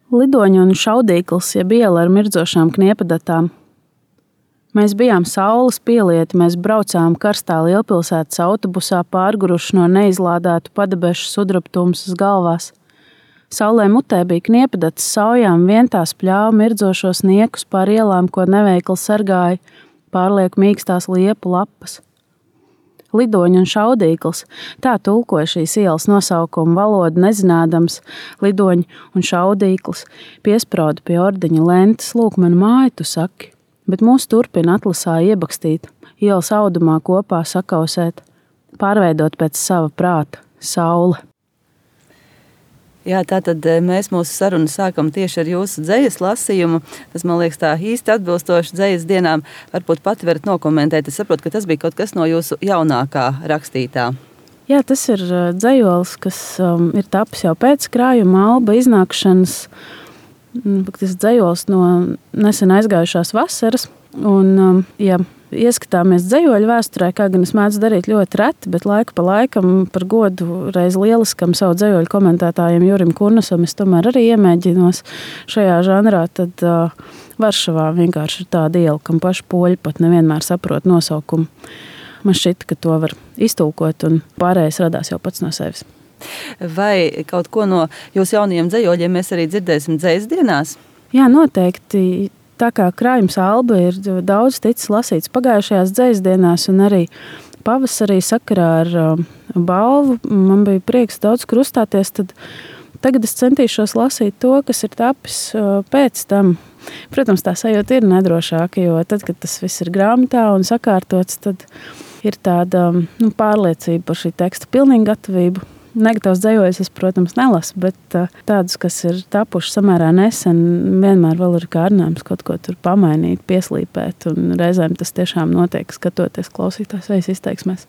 Lidoņa un šaudīkls, jeb iela ar mirdzošām kniepadatām. Mēs bijām saules pielieti, mēs braucām karstā lielpilsētas autobusā pārguruši no neizlādētu padebešu sudrabtumsas galvās. Saulē mutē bija kniepadats saujām, vien tās pļāva mirdzošos niekus pār ielām, ko neveikli sargāja pārlieku mīkstās liepu lapas. Lidoņa un šaudīkls, tā tulkoja šīs ielas nosaukumu valodu nezinādams, lidoņa un šaudīkls, piesprauda pie ordeņa lentes, lūk, man māju, tu saki, bet mūs turpina atlasā iebakstīt, ielas audumā kopā sakausēt, pārveidot pēc sava prāta, saule. Jā, tātad mēs mūsu sarunu sākam tieši ar jūsu dzejas lasījumu. Tas, man liekas, tā īsti atbilstoši dzejas dienām. Varbūt pati varat nokomentēt. Es saprotu, ka tas bija kaut kas no jūsu jaunākā rakstītā. Jā, tas ir dzejols, kas ir tapis jau pēc krājuma alba iznākšanas. Tas dzejols no nesen aizgājušās vasaras. Un, ja ieskatāmies dzejoļu vēsturē, kā gan es mēdzu darīt ļoti reti, bet laiku pa laikam par godu reiz lieliskam savu dzejoļu komentētājiem Jurim Kurnasam es tomēr arī iemēģinos šajā žanrā, tad Varšavā vienkārši ir tāda iela, kam paši poļi pat nevienmēr saprot nosaukumu. Man šķita, ka to var iztulkot un pārējais radās jau pats no sevis. Vai kaut ko no jūsu jaunajiem dzejoļiem mēs arī dzirdēsim dzejas dienās? Jā, noteikti. Tā kā krājums alba ir daudz ticis lasīts pagājušajās dzejas dienās un arī pavasarī sakarā ar balvu, man bija prieks daudz kur uzstāties, tad tagad es centīšos lasīt to, kas ir tapis pēc tam. Protams, tā sajūta ir nedrošāka, jo tad, kad tas viss ir grāmatā un sakārtots, tad ir tāda pārliecība par šī teksta pilnīgu gatavību. Negatīvs dzejoļus es, protams, nelasu, bet tādus, kas ir tapuši samērā nesen, vienmēr vēl ir kārdinājums kaut ko tur pamainīt, pieslīpēt, un reizēm tas tiešām notiek, skatoties klausītājs vai izteiksmēs.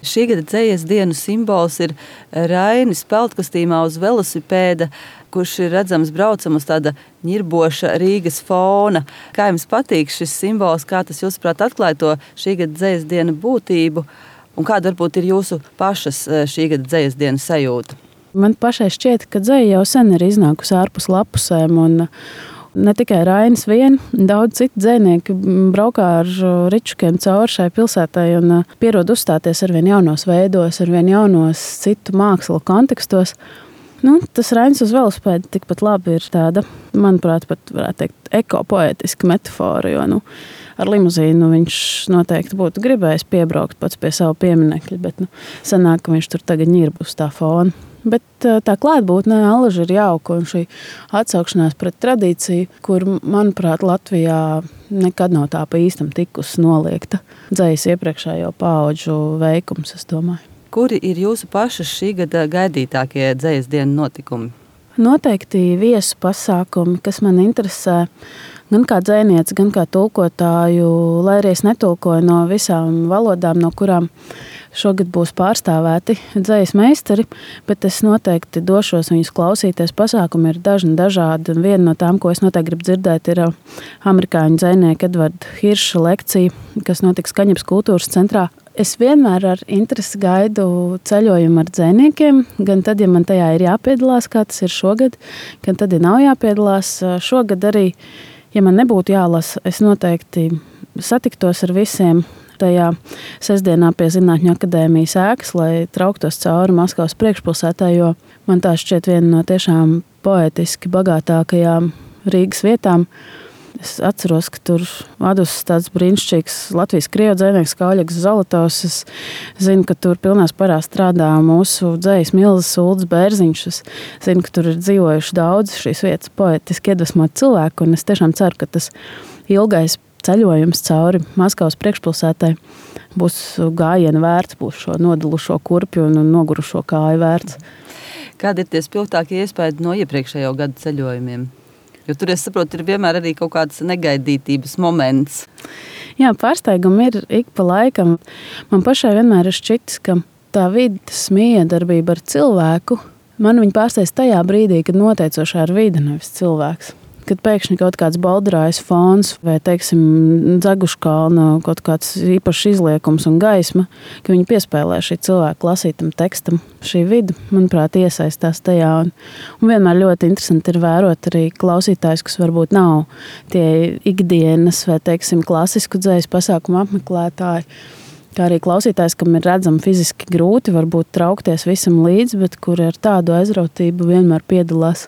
Šī gada dzejas dienu simbols ir Rainis peldkostīmā uz velosipēda, kurš ir redzams braucam uz tāda ņirboša Rīgas fona. Kā jums patīk šis simbols, kā tas jūsuprāt atklāja to šī gada dzejas dienu būtību? Un kāda varbūt ir jūsu pašas šī gada dzejas dienas sajūta? Man pašai šķiet, ka dzeja jau sen ir iznākusi ārpus lapusēm, un ne tikai Rainis vien, daudz citu dzejnieki braukā ar ričukiem cauri šai pilsētai un pierod uzstāties arvien jaunos veidos, arvien jaunos citu mākslu kontekstos. Tas Rainis uz velosipēda tikpat labi ir tāda, manuprāt, pat varētu teikt, ekopoētiska metafora, jo ar limuzīnu viņš noteikti būtu gribējis piebraukt pats pie savu pieminekļa, bet sanāk, ka viņš tur tagad ņirb uz tā fona. Bet tā klātbūtne allaži ir jauka, un šī atsaukšanās pret tradīciju, kur, manuprāt, Latvijā nekad nav tā pa īstam tikusi noliegta dzejas iepriekšējo paudžu veikums, es domāju. Kuri ir jūsu pašas šī gada gaidītākie dzejas dienu notikumi? Noteikti viesu pasākumi, kas man interesē, gan kā dzejniece, gan kā tulkotāju, lai arī es netulkoju no visām valodām, no kurām šogad būs pārstāvēti dzejas meistari, bet es noteikti došos viņus klausīties. Pasākumi ir dažādi, un viena no tām, ko es noteikti gribu dzirdēt, ir amerikāņu dzejnieka Edvarda Hirša lekcija, kas notiks Kaņepes kultūras centrā. Es vienmēr ar interesi gaidu ceļojumu ar dzejniekiem, gan tad, ja man tajā ir jāpiedalās, kā tas ir šogad, gan tad, ja nav jāpiedalās. Šogad arī, ja man nebūtu jālasa, es noteikti satiktos ar visiem tajā sestdienā pie Zinātņu akadēmijas ēkas, lai trauktos cauri Maskavas priekšpilsētā, jo man tā šķiet viena no tiešām poētiski bagātākajām Rīgas vietām. Es atceros, ka tur adusis tāds brīnišķīgs Latvijas-Krievu dzejnieks Kauļaks Zolotovs. Es zinu, ka tur pilnā spārā strādā mūsu dzejas milzes Uldis Bērziņš. Es zinu, ka tur ir dzīvojuši daudz šīs vietas poētiski iedvesmot cilvēku, un es tiešām ceru, ka tas ilgais ceļojums cauri Maskavas priekšpilsētai būs gājiena vērts, būs šo nodalušo kurpju un nogurušo kāju vērts. Kādi ir tie spilgtākie iespējas no iepriekšējo gadu ceļojumiem? Jo tur, es saprotu, ir vienmēr arī kaut kāds negaidītības moments. Jā, pārsteigumi ir ik pa laikam. Man pašai vienmēr ir šķitis, ka tā vides miedarbība ar cilvēku, man viņa pārsteidz tajā brīdī, kad noteicošā ir vide, nevis cilvēks. kad pēkšņi kaut kāds baldrājs fons vai, teiksim, Dzeguškalna kaut kāds īpašs izliekums un gaisma, ka viņi piespēlē šī cilvēka lasītam tekstam. Šī vide, manuprāt, iesaistās tajā. Un vienmēr ļoti interesanti ir vērot arī klausītājus, kas varbūt nav tie ikdienas vai, teiksim, klasisku dzejas pasākumu apmeklētāji. Kā arī klausītājs, kam ir redzami fiziski grūti, varbūt traukties visam līdzi, bet kuri ar tādu aizrautību vienmēr piedalās.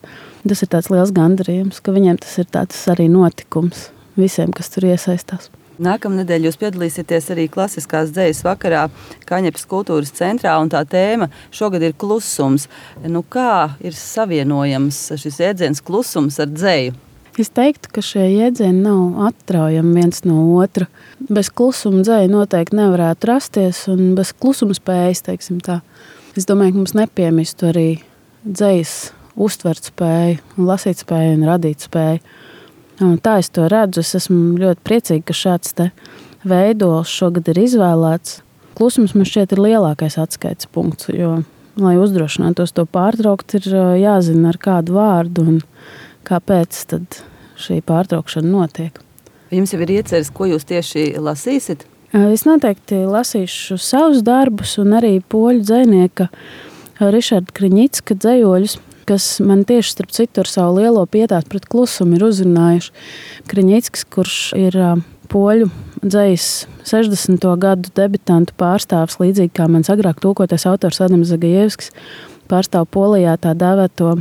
Tas ir tāds liels gandarījums, ka viņiem tas ir tāds arī notikums visiem, kas tur iesaistās. Nākamnedēļ jūs piedalīsieties arī klasiskās dzejas vakarā Kaņepes kultūras centrā, un tā tēma šogad ir klusums. Kā ir savienojams šis jēdziens klusums ar dzeju? Es teiktu, ka šie jēdzieni nav atraujami viens no otra. Bez klusuma dzeja noteikti nevarētu rasties, un bez klusuma spējas, teiksim tā. Es domāju, ka mums nepiemistu arī dzejas uztvert spēju, lasīt spēju un radīt spēju. Un tā es to redzu. Es esmu ļoti priecīga, ka šāds te veidols šogad ir izvēlēts. Klusums man šķiet ir lielākais atskaites punkts, jo, lai uzdrošinātos to pārtraukt, ir jāzina ar kādu vārdu un kāpēc tad šī pārtraukšana notiek. Jums jau ir ieceres, ko jūs tieši lasīsiet? Es noteikti lasīšu savus darbus un arī poļu dzejnieka Rišarda Kriņicka dzejoļus, kas man tieši starp citu ar savu lielo pietātu pret klusumu ir uzrunājuši. Kriņicks, kurš ir poļu dzejas 60. gadu debitantu pārstāvs, līdzīgi kā mans agrāk tulkotais autors Adams Zagajevskis, pārstāv Polijā tā dēvēto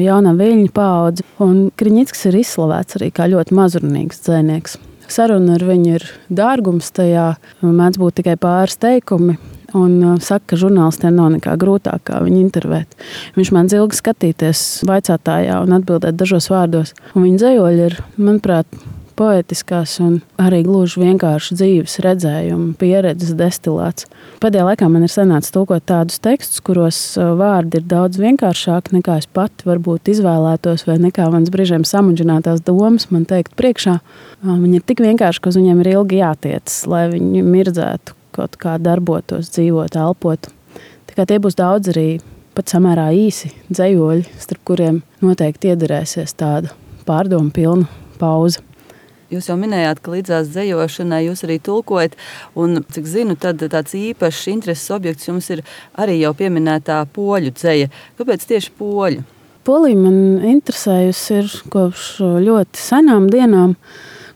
jaunā viļņu paudzi. Un Kriņicks ir izslavēts arī kā ļoti mazrunīgs dzejnieks. Saruna ar viņu ir dārgums tajā, mēdz būt tikai pāris teikumi. Un saka, ka žurnālistiem nav nekā grūtāk, kā viņu intervēt. Viņš man ilgi skatīties vaicātājā un atbildēt dažos vārdos. Un viņa dzejoļi ir, manuprāt, poetiskās un arī gluži vienkārši dzīves redzējuma, pieredzes destilāts. Pēdējā laikā man ir sanācis tulkot tādus tekstus, kuros vārdi ir daudz vienkāršāki nekā es pati varbūt izvēlētos vai nekā manas brīžiem samudžinātās domas man teikt priekšā. Viņi ir tik vienkārši, ka uz viņiem ir ilgi jātiecas, lai viņi mirdzētu, kaut kā darbotos, dzīvot, elpot. Tā kā tie būs daudz arī pat samērā īsi dzejoļi, starp kuriem noteikti iederēsies tāda pārdomu pilna pauze. Jūs jau minējāt, ka līdzās dzejošanai jūs arī tulkojat, un, cik zinu, tad tāds īpašs intereses objekts jums ir arī jau pieminētā poļu dzeja. Kāpēc tieši poļu? Polija man interesējusi ir kopš ļoti senām dienām,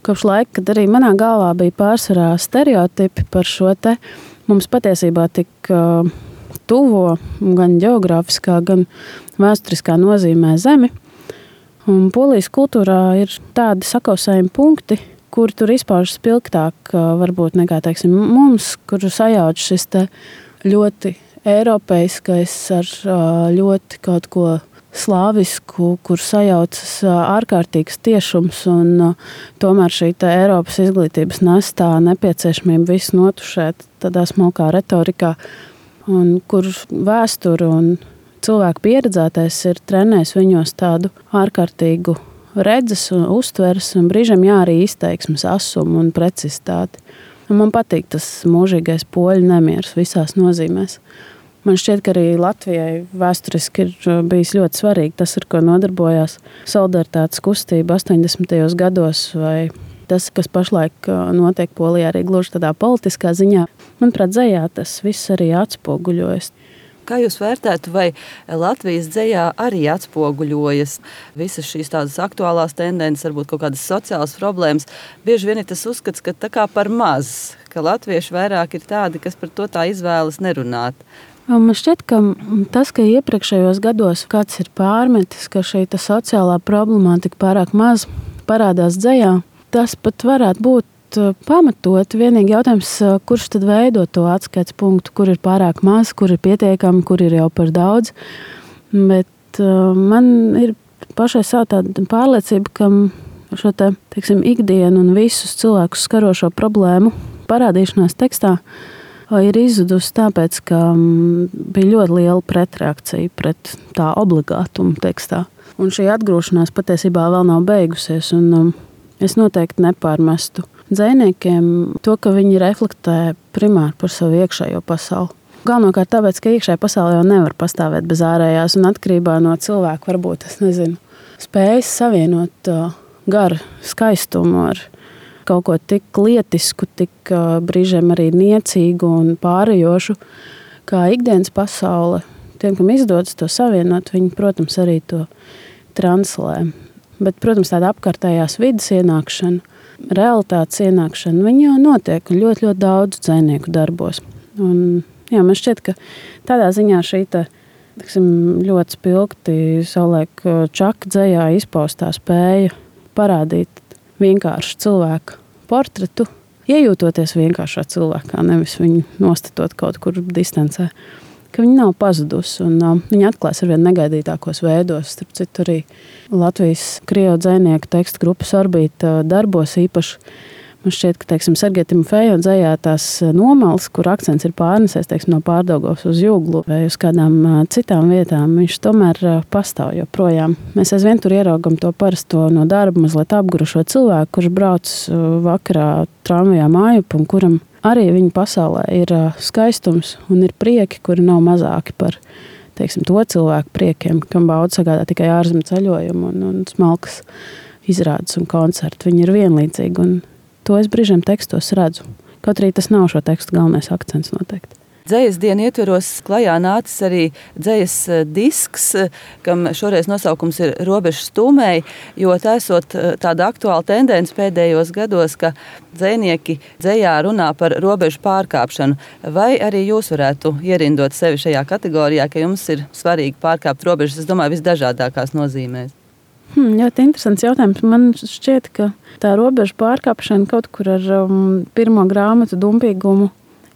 kopš laika, kad arī manā galvā bija pārsvarā stereotipi par šo te mums patiesībā tik tuvo gan ģeogrāfiskā, gan vēsturiskā nozīmē zemi. Un Polijas kultūrā ir tādi sakausējumi punkti, kur tur izpaužas spilgtāk varbūt nekā, teiksim, mums, kur sajauc šis te ļoti eiropeiskais ar ļoti kaut ko slāvisku, kur sajaucas ārkārtīgs tiešums un tomēr šī te Eiropas izglītības nestā nepieciešamība visu notušēt tādā smalkā retorikā, un kur vēsture un cilvēku pieredzētais ir trenējis viņos tādu ārkārtīgu redzes un uztveres un brīžiem arī izteiksmes asumu un precizitāti. Un man patīk tas mūžīgais poļu nemieris visās nozīmēs. Man šķiet, ka arī Latvijai vēsturiski ir bijis ļoti svarīgi tas, ar ko nodarbojās solidaritātes kustība 80. gados vai tas, kas pašlaik notiek Polijā arī gluži tādā politiskā ziņā. Manuprāt, dzejā tas viss arī atspoguļojas. Kā jūs vērtētu, vai Latvijas dzejā arī atspoguļojas visas šīs tādas aktuālās tendences, varbūt kaut kādas sociālas problēmas? Bieži vien ir tas uzskats, ka tā kā par maz, ka latvieši vairāk ir tādi, kas par to tā izvēlas nerunāt. Man šķiet, ka tas, ka iepriekšējos gados kāds ir pārmetis, ka šī sociālā problemātika pārāk maz parādās dzejā, tas pat varētu būt pamatot. Vienīgi jautājums, kurš tad veido to atskaites punktu, kur ir pārāk maz, kur ir pietiekami, kur ir jau par daudz. Bet man ir pašai savu tādu pārliecību, ka šo te, teiksim, ikdienu un visus cilvēkus skarošo problēmu parādīšanās tekstā ir izzudusi tāpēc, ka bija ļoti liela pretreakcija pret tā obligātumu tekstā. Un šī atgrūšanās patiesībā vēl nav beigusies, un es noteikti nepārmestu dzejniekiem to, ka viņi reflektē primāri par savu iekšējo pasauli. Galvenokārt tāpēc, ka iekšējā pasaule jau nevar pastāvēt bez ārējās, un atkarībā no cilvēka varbūt, es nezinu, spējas savienot garu skaistumu ar kaut ko tik lietisku, tik brīžiem arī niecīgu un pārējošu, kā ikdienas pasaule. Tiem, kam izdodas to savienot, viņi, protams, arī to translē. Bet, protams, tāda apkārtējās vidas ienākšana, realitātes ienākšana, viņi jau notiek ļoti, ļoti daudz dzejnieku darbos. Un, man šķiet, ka tādā ziņā šī ļoti spilgti savulaik Čaka dzejā izpaustā spēja parādīt vienkāršu cilvēku portretu, iejūtoties vienkāršā cilvēkā, nevis viņu nostatot kaut kur distancē, ka viņa nav pazudusi un viņa atklājas arvien negaidītākos veidos. Starp citu, arī Latvijas krievu dzejnieku tekstu grupas Orbīta darbos īpaši. Man šķiet, ka Sergeja Timofejeva dzejā tās nomales, kur akcents ir pārnesies no Pārdaugavas uz Jūglu vai uz kādām citām vietām, viņš tomēr pastāv joprojām. Mēs aizvien tur ieraugam to parasto no darba mazliet apgurušo cilvēku, kurš brauc vakarā tramvajā mājup un kuram arī viņa pasaulē ir skaistums un ir prieki, kuri nav mazāki par to cilvēku priekiem, kam bauda sagādā tikai ārzemju ceļojumu un smalkas izrādes un koncerti. Viņi ir vienlīdzīgi un to es brīžiem tekstos redzu. Kaut arī tas nav šo tekstu galvenais akcents noteikti. Dzejas dienu ietveros klajā nācis arī dzejas disks, kam šoreiz nosaukums ir Robežas stūmēji, jo tā esot tāda aktuāla tendence pēdējos gados, ka dzejnieki dzejā runā par robežu pārkāpšanu. Vai arī jūs varētu ierindot sevi šajā kategorijā, ka jums ir svarīgi pārkāpt robežas, es domāju, visdažādākās nozīmēs? Ļoti interesants jautājums. Man šķiet, ka tā robežu pārkāpšana kaut kur ar pirmo grāmatu dumpīgumu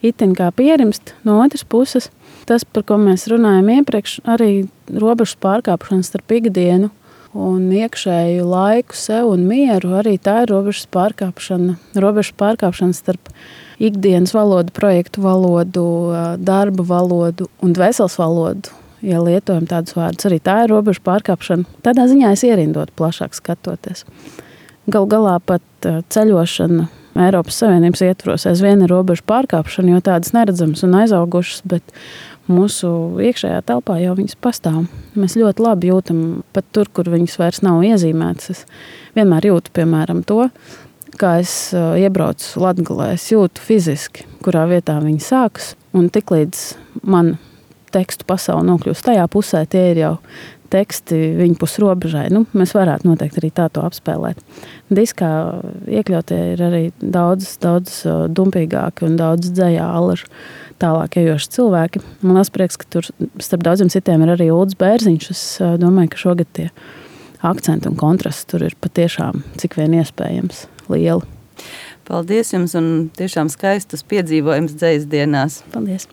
itin kā pierimst. No otras puses, tas, par ko mēs runājam iepriekš, arī robežu pārkāpšana starp ikdienu un iekšēju laiku sev un mieru, arī tā ir robežu pārkāpšana. Robežu pārkāpšana starp ikdienas valodu, projektu valodu, darba valodu un dvēseles valodu. Ja lietojam tādus vārdus, arī tā ir robežu pārkāpšana. Tādā ziņā es ierindot plašāk skatoties. Galu galā pat ceļošana Eiropas Savienības ietvaros aizvien ir robežu pārkāpšana, jo tādas neredzamas un aizaugušas, bet mūsu iekšējā telpā jau viņas pastāv. Mēs ļoti labi jūtam pat tur, kur viņas vairs nav iezīmētas. Es vienmēr jūtu, piemēram, to, kā es iebraucu Latgalē. Es jūtu fiziski, kurā vietā viņi sākas, un tiklīdz man tekstu pasauli nokļūst tajā pusē, tie ir jau teksti viņu pus robežai. Mēs varētu noteikti arī tā to apspēlēt. Diskā iekļautie ir arī daudz dumpīgāki un daudz dzejā alažu tālāk ejoši cilvēki. Man liels prieks, ka tur starp daudziem citiem ir arī Uldis Bērziņš. Es domāju, ka šogad tie akcenti un kontrasti tur ir patiešām cik vien iespējams lieli. Paldies jums un tiešām skaistus piedzīvojumus dzejas dienās. Paldies!